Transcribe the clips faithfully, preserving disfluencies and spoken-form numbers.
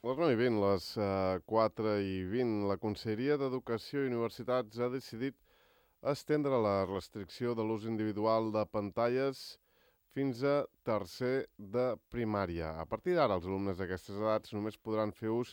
Les nou i vint, les uh, quatre i vint, la Conselleria d'Educació i Universitats ha decidit estendre la restricció de l'ús individual de pantalles fins a tercer de primària. A partir d'ara, els alumnes d'aquestes edats només podran fer ús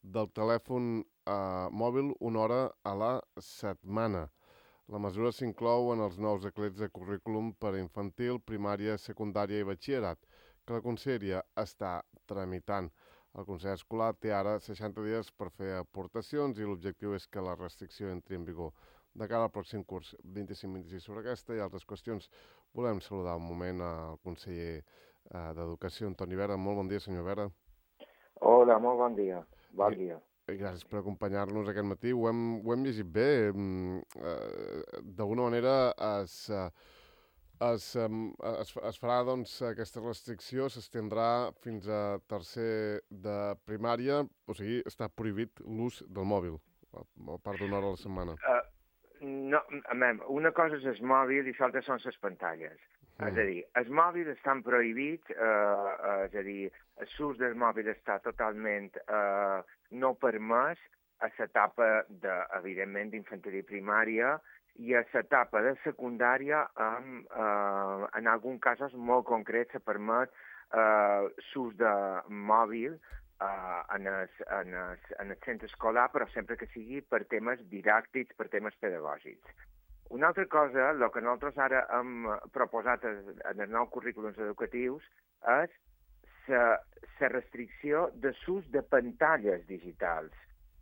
del telèfon eh, mòbil una hora a la setmana. La mesura s'inclou en els nous decrets de currículum per a infantil, primària, secundària i batxillerat, que la Conselleria està tramitant. El Consell Escolar té ara seixanta dies per fer aportacions i l'objectiu és que la restricció entri en vigor de cara al pròxim curs vint-i-cinc vint-i-sis. Sobre aquesta i altres qüestions volem saludar un moment al conseller eh, d'Educació, Antoni Vera. Molt bon dia, senyor Vera. Hola, molt bon dia. Bon I, dia. i gràcies per acompanyar-nos aquest matí. Ho hem, ho hem llegit bé. Eh, D'alguna manera es... Eh, Es, es, es farà, doncs, aquesta restricció, s'estendrà fins a tercer de primària, o sigui, està prohibit l'ús del mòbil, a part d'una hora a la setmana. Uh, no, a mem, una cosa és el mòbil i l'altra són les pantalles. Mm. És a dir, els mòbils estan prohibits, uh, uh, és a dir, l'ús del mòbil està totalment uh, no permès a l'etapa, de, evidentment, d'infantil i primària, i a l'etapa de secundària, amb, eh, en alguns casos molt concrets, se permet eh, l'ús de mòbil eh, en, el, en, el, en el centre escolar, però sempre que sigui per temes didàctics, per temes pedagògics. Una altra cosa, el que nosaltres ara hem proposat en els nous currículums educatius és la restricció de l'ús de pantalles digitals,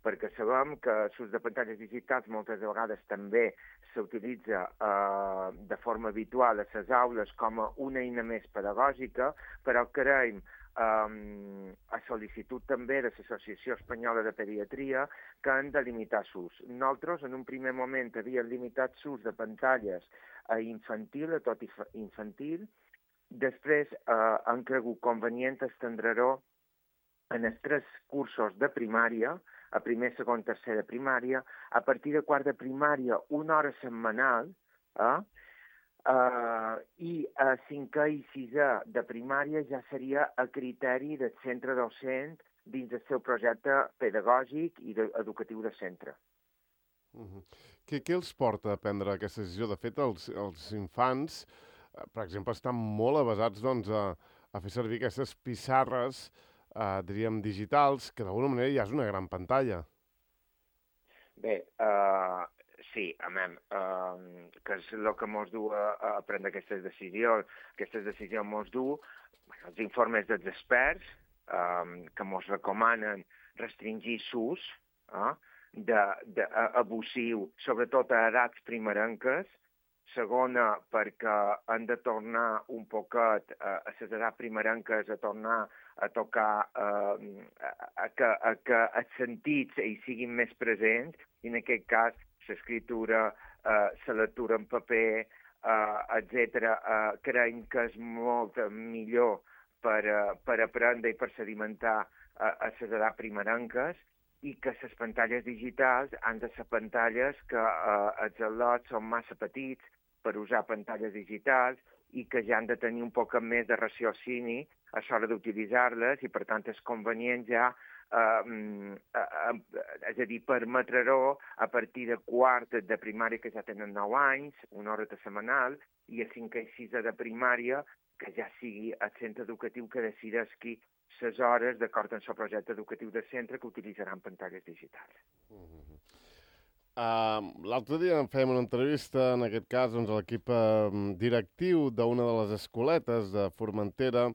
perquè sabem que l'ús de pantalles digitals moltes vegades també s'utilitza eh, de forma habitual a les aules com a una eina més pedagògica, però creiem, eh, a sol·licitud també de l'Associació Espanyola de Pediatria, que han de limitar l'ús. Nosaltres, en un primer moment, havíem limitat l'ús de pantalles a infantil, a tot infantil, després eh, han cregut convenient estendre-ho en els tres cursos de primària, a primer, segon, tercer de primària, a partir de quart de primària, una hora setmanal, eh? Uh, i a cinquè i sisè de primària ja seria a criteri del centre docent dins del seu projecte pedagògic i de, educatiu de centre. Uh -huh. què, què els porta a prendre aquesta decisió? De fet, els, els infants, eh, per exemple, estan molt avasats doncs, a, a fer servir aquestes pissarres Uh, diríem, digitals, que d'alguna manera ja és una gran pantalla. Bé, uh, sí, amem, uh, que és el que mos du a, a prendre aquestes decisions. Aquestes decisions mos du bueno, els informes dels experts um, que mos recomanen restringir l'ús uh, de, de, uh, abusiu, sobretot a edats primerenques. Segona, perquè han de tornar un poquet uh, a les edats primerenques a tornar a tocar, eh, a, que, a que els sentits hi siguin més presents, i en aquest cas l'escriptura, eh, la lectura en paper, eh, etcètera, eh, creiem que és molt millor per, uh, per aprendre i per sedimentar uh, a les edats primerenques, i que les pantalles digitals han de ser pantalles que uh, els al·lots són massa petits per usar pantalles digitals i que ja han de tenir un poc més de raciocini a l'hora d'utilitzar-les, i per tant és convenient ja, eh, eh, és a dir, permetre-ho a partir de quart de primària, que ja tenen nou anys, una hora setmanal, i a cinquè i sisè de primària, que ja sigui el centre educatiu que decideixi les hores d'acord amb el projecte educatiu del centre que utilitzaran pantalles digitals. Uh -huh. Uh, L'altre dia em fèiem una entrevista, en aquest cas, doncs, a l'equip uh, directiu d'una de les escoletes de Formentera,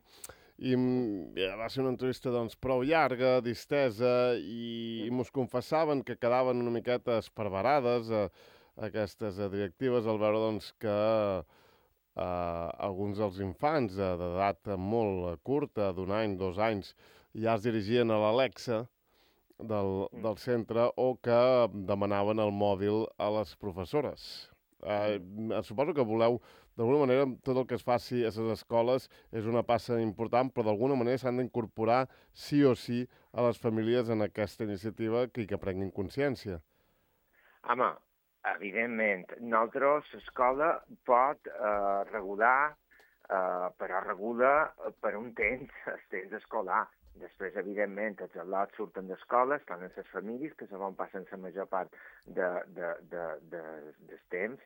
i uh, va ser una entrevista doncs, prou llarga, distesa, i, i mos confessaven que quedaven una miqueta esparverades uh, aquestes uh, directives al veure doncs, que uh, alguns dels infants uh, d'edat molt curta, d'un any, dos anys, ja es dirigien a l'Alexa del, del centre, o que demanaven el mòbil a les professores. Eh, suposo que voleu, d'alguna manera, tot el que es faci a les escoles és una passa important, però d'alguna manera s'han d'incorporar sí o sí a les famílies en aquesta iniciativa i que prenguin consciència. Home, evidentment, nosaltres, l'escola pot eh, regular, eh, però regula per un temps, el temps escolar. Després, evidentment, els al·lots surten d'escola, estan en les famílies, que se on passen la major part de, de, de, de, del temps,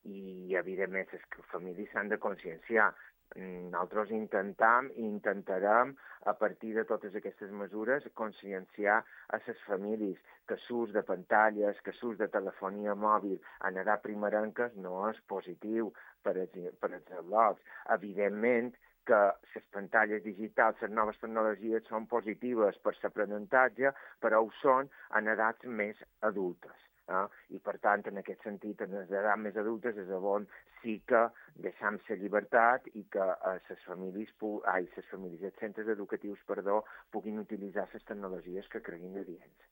i, evidentment, les famílies s'han de conscienciar. Nosaltres intentam i intentarem, a partir de totes aquestes mesures, conscienciar a les famílies que l'ús de pantalles, que l'ús de telefonia mòbil en edat primerenques no és positiu per als, per als al·lots. Evidentment, que les pantalles digitals, les noves tecnologies són positives per l'aprenentatge, però ho són en edats més adultes. Eh? I, per tant, en aquest sentit, en les edats més adultes és on sí que deixam la llibertat i que eh, les famílies, ai, les famílies, els centres educatius, perdó, puguin utilitzar les tecnologies que creguin adients.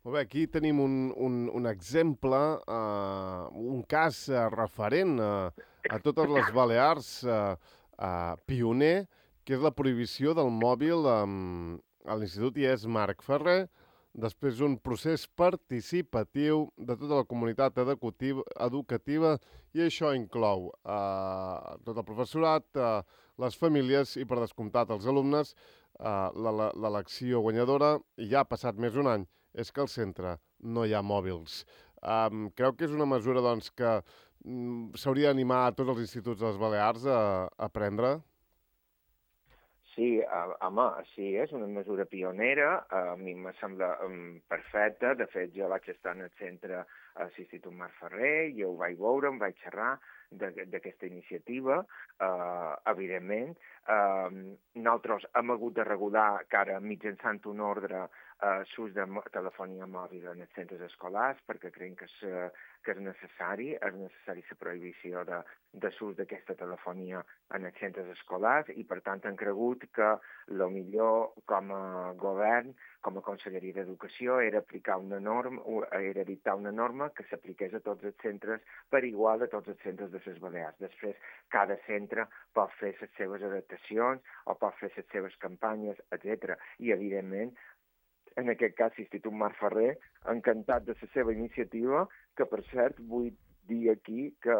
Molt bé, aquí tenim un, un, un exemple, uh, un cas uh, referent uh, a totes les Balears, uh, uh, pioner, que és la prohibició del mòbil um, a l'Institut I E S Marc Ferrer, després d'un procés participatiu de tota la comunitat educativa, i això inclou uh, tot el professorat, uh, les famílies i, per descomptat, els alumnes. Uh, l'elecció guanyadora, i ja ha passat més d'un any, és que al centre no hi ha mòbils. Um, creu que és una mesura doncs, que um, s'hauria d'animar a tots els instituts de les Balears a, a prendre? Sí, home, sí, és una mesura pionera, a mi me sembla um, perfecta. De fet, jo vaig estar en el centre a l'Institut Marc Ferrer, jo ho vaig veure, em vaig xerrar d'aquesta iniciativa, uh, evidentment. Uh, nosaltres hem hagut de regular que ara mitjançant un ordre uh, l'ús de telefonia mòbil en els centres escolars, perquè creiem que és, uh, que és necessari, és necessari la prohibició de, de l'ús d'aquesta telefonia en els centres escolars, i per tant hem cregut que el millor com a govern, com a Conselleria d'Educació, era aplicar una norma, era dictar una norma que s'apliqués a tots els centres per igual a tots els centres de les Balears. Després, cada centre pot fer les seves adaptacions o pot fer les seves campanyes, etcètera. I, evidentment, en aquest cas, l'Institut Marc Ferrer, encantat de la seva iniciativa, que, per cert, vull dir aquí que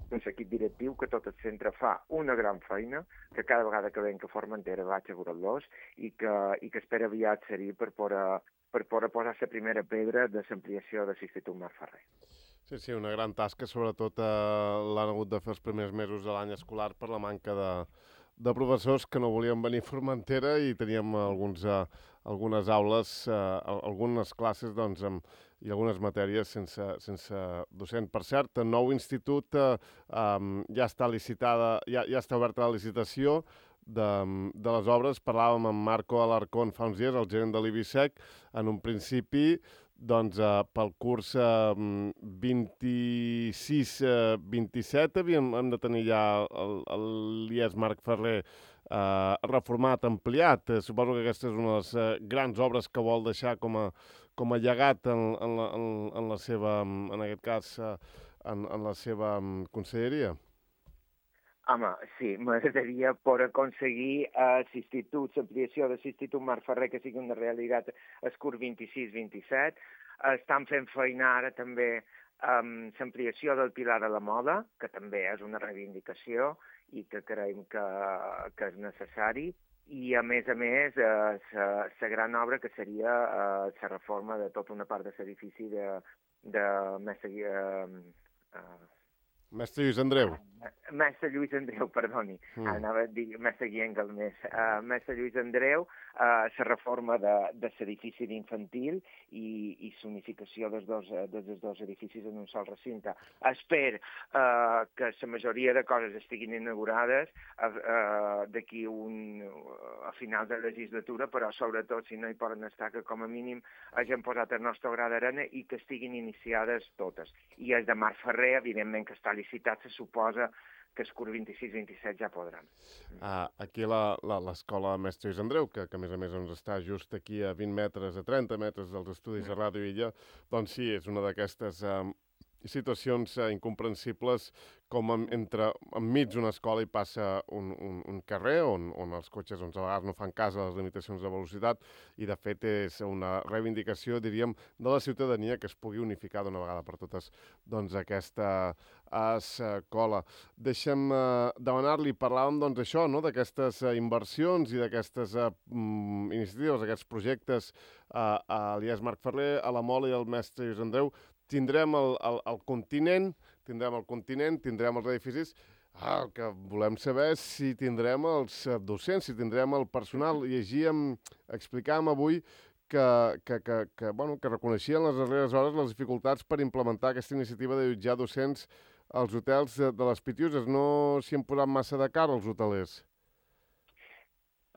l'equip directiu, que tot el centre fa una gran feina, que cada vegada que venc a Formentera vaig a veure-los i que, i que espera aviat ser-hi per poder, per poder posar la primera pedra de l'ampliació de l'Institut Marc Ferrer. Sí, sí, una gran tasca, sobretot eh, l'han hagut de fer els primers mesos de l'any escolar per la manca de, de professors que no volien venir a Formentera, i teníem alguns, eh, algunes aules, eh, algunes classes doncs, amb, i algunes matèries sense, sense docent. Per cert, el nou institut eh, um, ja està licitada, ja, ja està oberta la licitació de, de les obres. Parlàvem amb Marco Alarcón fa uns dies, el gerent de l'Ibisec. En un principi, doncs, eh, pel curs eh, vint-i-sis vint-i-set havíem, hem de tenir ja l'I E S Marc Ferrer eh, reformat, ampliat. Eh, suposo que aquesta és una de les eh, grans obres que vol deixar com a, com a llegat en, en, la, en, en la seva, en aquest cas, eh, en, en la seva conselleria. Home, sí, m'agradaria poder aconseguir uh, l'institut, l'ampliació de l'Institut Marc Ferrer, que sigui una realitat el curs vint-i-sis vint-i-set. Uh, estan fent feina ara també um, l'ampliació del Pilar de la Moda, que també és una reivindicació i que creiem que, que és necessari. I, a més a més, la uh, gran obra que seria la uh, reforma de tota una part de l'edifici de, de Mestre... Uh, uh, Mestre Lluís Andreu. Mestre Lluís Andreu, perdoni. Mm. Anava a dir Mestre Guiengal més. Uh, Mestre Lluís Andreu, uh, la reforma de, de l'edifici d'infantil i, i l'unificació dels dos, dels dos edificis en un sol recinte. Espero uh, que la majoria de coses estiguin inaugurades uh, uh, d'aquí un, uh, a final de legislatura, però sobretot, si no hi poden estar, que com a mínim hagin posat el nostre gra d'arena i que estiguin iniciades totes. I el de Marc Ferrer, evidentment, que està licitat, se suposa que el curs vint-i-sis vint-i-set ja podran. Uh, aquí l'escola Mestre Lluís Andreu, que, que a més a més doncs, està just aquí a vint metres, a trenta metres dels estudis de Ràdio Illa, doncs sí, és una d'aquestes uh, situacions eh, incomprensibles com en, entre, enmig d'una escola hi passa un, un, un carrer on, on els cotxes doncs, a vegades no fan cas a les limitacions de velocitat i de fet és una reivindicació, diríem, de la ciutadania que es pugui unificar d'una vegada per totes doncs, aquesta escola. Deixa'm eh, demanar-li, parlàvem doncs això, no? D'aquestes eh, inversions i d'aquestes eh, mm, iniciatives, aquests projectes eh, a l'I E S Marc Ferrer, a la Mola i al mestre Lluís Andreu. Tindrem el, el, el continent, tindrem el continent, tindrem els edificis. Ah, el que volem saber és si tindrem els docents, si tindrem el personal. Llegíem, explicàvem avui que, que, que, que, bueno, que reconeixien les darreres hores les dificultats per implementar aquesta iniciativa de jutjar docents als hotels de, de les Pitiuses. No s'hi han posat massa de cara els hotelers.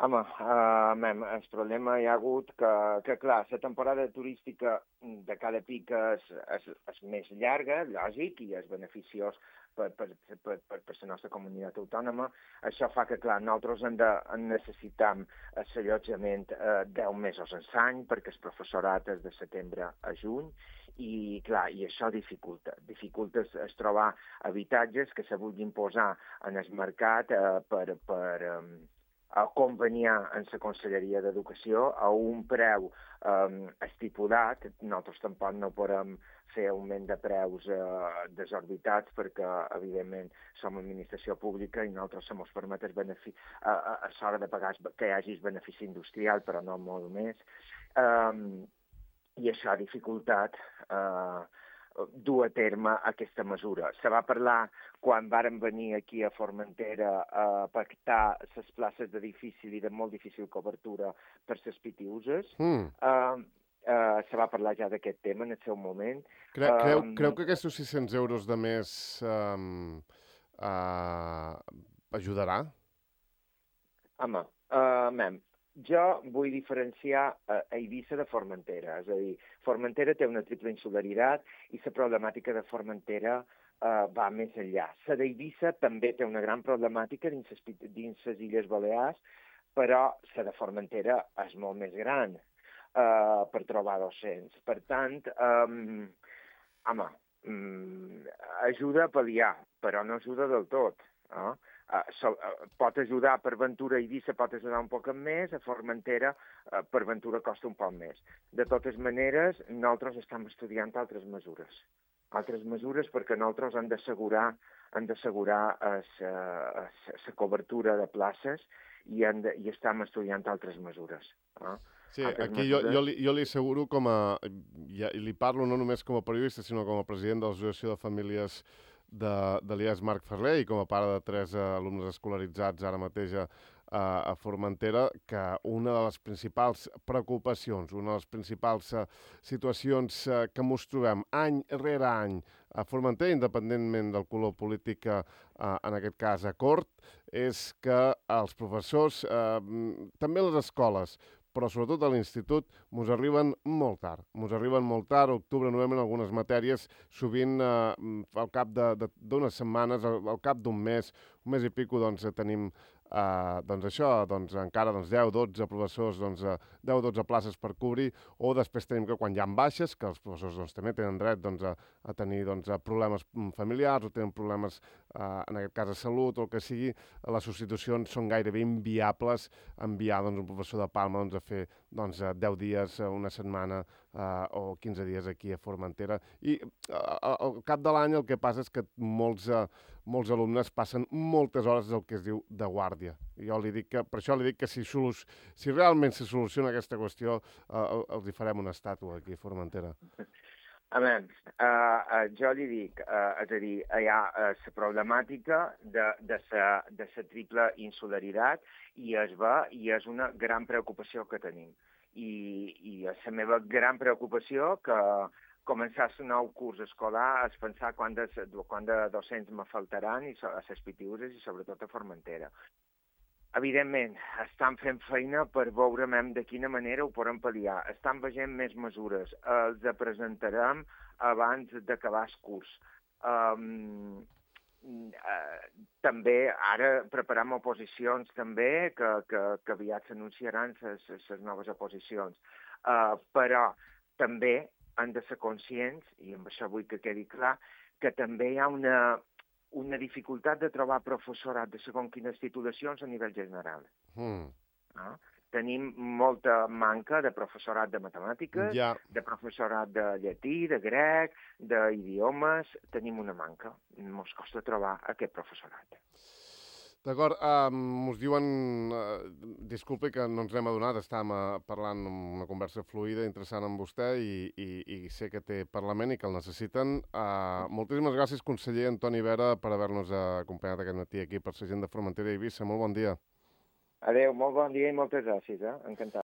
Home, uh, mem, el problema hi ha hagut que, que, clar, la temporada turística de cada pic és, és, és més llarga, lògic, i és beneficiós per, per, per, per, per la nostra comunitat autònoma. Això fa que, clar, nosaltres en de, en necessitam l'allotjament eh, deu mesos en l'any, perquè el professorat és de setembre a juny, i, clar, i això dificulta. Dificulta es, es trobar habitatges que se vulguin posar en el mercat eh, per... per um, a conveniar en la Conselleria d'Educació a un preu eh, estipulat. Nosaltres tampoc no podem fer augment de preus eh, desorbitats perquè, evidentment, som administració pública i nosaltres se mos permet el benefici, a, a, a l'hora de pagar que hi hagi benefici industrial, però no molt més. Eh, I això ha dificultat eh, dur a terme aquesta mesura. Se va parlar quan varen venir aquí a Formentera a pactar les places de difícil i de molt difícil cobertura per les Pitiuses. Mm. Uh, uh, se va parlar ja d'aquest tema en el seu moment. Cre creu, um, creu que aquests sis-cents euros de més um, uh, ajudarà? Home, uh, mem, jo vull diferenciar a Eivissa de Formentera. És a dir, Formentera té una triple insularitat i la problemàtica de Formentera uh, va més enllà. La d'Eivissa també té una gran problemàtica dins les Illes Balears, però la de Formentera és molt més gran uh, per trobar docents. Per tant, um, home, um, ajuda a pal·liar, però no ajuda del tot. No? Uh, so, uh, pot ajudar per Ventura i Eivissa, pot ajudar un poc més, a Formentera uh, per Ventura costa un poc més. De totes maneres, nosaltres estem estudiant altres mesures. Altres mesures perquè nosaltres hem d'assegurar han d'assegurar la cobertura de places i, han de, i estem estudiant altres mesures. No? Sí, altres aquí mesures... jo, jo, li, jo li asseguro com a... I li parlo no només com a periodista, sinó com a president de l'Associació de Famílies de, de l'I E S Marc Ferrer i com a pare de tres alumnes escolaritzats ara mateix a, a Formentera, que una de les principals preocupacions, una de les principals uh, situacions uh, que ens trobem any rere any a Formentera, independentment del color polític, uh, en aquest cas a Cort, és que els professors, uh, també les escoles, però sobretot a l'institut, mos arriben molt tard. Mos arriben molt tard, octubre, novembre, en algunes matèries, sovint eh, al cap d'unes setmanes, al, al cap d'un mes, un mes i pico, doncs tenim eh, doncs això, doncs encara doncs, deu dotze professors, doncs, deu dotze places per cobrir, o després tenim que quan hi ha baixes, que els professors doncs, també tenen dret doncs, a, a tenir doncs, a problemes familiars o tenen problemes, eh, en aquest cas, de salut o el que sigui, les substitucions són gairebé inviables enviar doncs, un professor de Palma doncs, a fer doncs, deu dies, una setmana eh, o quinze dies aquí a Formentera. I eh, al cap de l'any el que passa és que molts, eh, molts alumnes passen moltes hores del que es diu de guàrdia. Jo li dic que, per això li dic que si, si realment se soluciona aquesta qüestió, eh, els hi farem una estàtua aquí a Formentera. A veure, uh, uh, jo li dic, uh, és a dir, hi ha la uh, problemàtica de, de, sa, de sa triple insularitat i es va, i és una gran preocupació que tenim. I, i és la meva gran preocupació que començar el nou curs escolar és pensar quant de, quant de docents me faltaran i a les Pitiuses i sobretot a Formentera. Evidentment, estan fent feina per veure de quina manera ho podem pal·liar. Estan veient més mesures. Els presentarem abans d'acabar el curs. Um, uh, també, ara preparem oposicions també, que, que, que aviat s'anunciaran les noves oposicions. Uh, però també han de ser conscients, i amb això vull que quedi clar, que també hi ha una, una dificultat de trobar professorat de segons quines titulacions a nivell general. Mm. No? Tenim molta manca de professorat de matemàtiques, Ja. de professorat de llatí, de grec, d'idiomes. Tenim una manca. Ens costa trobar aquest professorat. D'acord, um, us diuen, uh, disculpi que no ens n'hem adonat, estàvem uh, parlant una conversa fluida, interessant amb vostè i, i, i sé que té Parlament i que el necessiten. Uh, moltíssimes gràcies, conseller Antoni Vera, per haver-nos acompanyat aquest matí aquí per la gent de Formentera i Eivissa. Molt bon dia. Adéu, molt bon dia i moltes gràcies. Eh? Encantat.